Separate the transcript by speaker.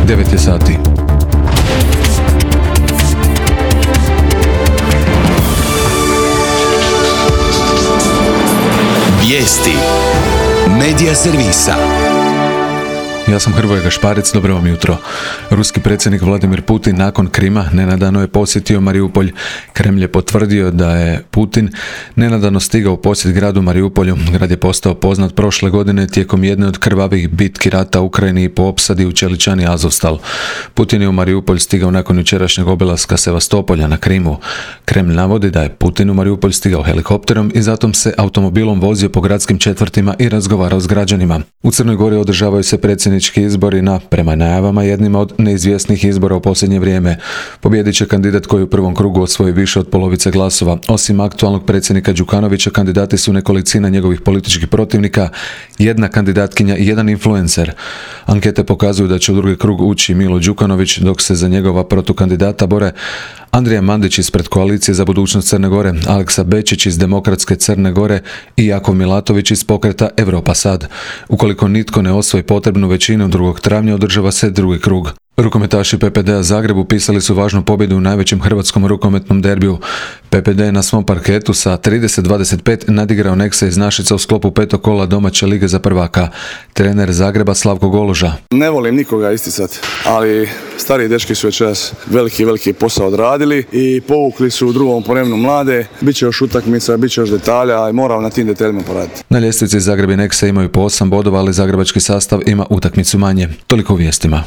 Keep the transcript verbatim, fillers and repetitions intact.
Speaker 1: devet je sati.
Speaker 2: Vijesti Medija servisa.
Speaker 1: Ja sam Hrvoje Gašparec, dobro vam jutro. Ruski predsjednik Vladimir Putin nakon Krima nenadano je posjetio Mariupolj. Kremlj je potvrdio da je Putin nenadano stigao u posjet gradu Mariupolju. Grad je postao poznat prošle godine tijekom jedne od krvavih bitki rata u Ukrajini i po opsadi u Čeličani Azovstal. Putin je u Mariupolj stigao nakon jučerašnjeg obilaska Sevastopolja na Krimu. Kremlj navodi da je Putin u Mariupolj stigao helikopterom i zatim se automobilom vozio po gradskim četvrtima i razgovarao s građanima. U Crnoj Gori održavaju se predsjednički izbori na, prema najavama, jednima od neizvjesnih izbora u posljednje vrijeme. Pobijedit će kandidat koji u prvom krugu osvoji više od polovice glasova. Osim aktualnog predsjednika Đukanovića, kandidati su nekolicina njegovih političkih protivnika, jedna kandidatkinja i jedan influencer. Ankete pokazuju da će u drugi krug ući Milo Đukanović, dok se za njegova protukandidata bore Andrija Mandić ispred Koalicije za budućnost Crne Gore, Aleksa Bečić iz Demokratske Crne Gore i Jakov Milatović iz pokreta Europa Sad. Ukoliko nitko ne osvoji potrebnu većinu, drugog travnja održava se drugi krug. Rukometaši P P D-a Zagreb upisali su važnu pobjedu u najvećem hrvatskom rukometnom derbiju. P P D je na svom parketu sa trideset dvadeset pet nadigrao Nexa iz Našica u sklopu petog kola domaće lige za prvaka. Trener Zagreba Slavko Goloža.
Speaker 3: Ne volim nikoga isticati, ali stari dečki su večeras veliki, veliki posao odradili i povukli su u drugom ponovnu mlade. Biće još utakmica, biće još detalja i moramo na tim detaljima poraditi.
Speaker 1: Na ljestvici Zagreb i Nexa imaju po osam bodova, ali zagrebački sastav ima utakmicu manje. Toliko u vijestima.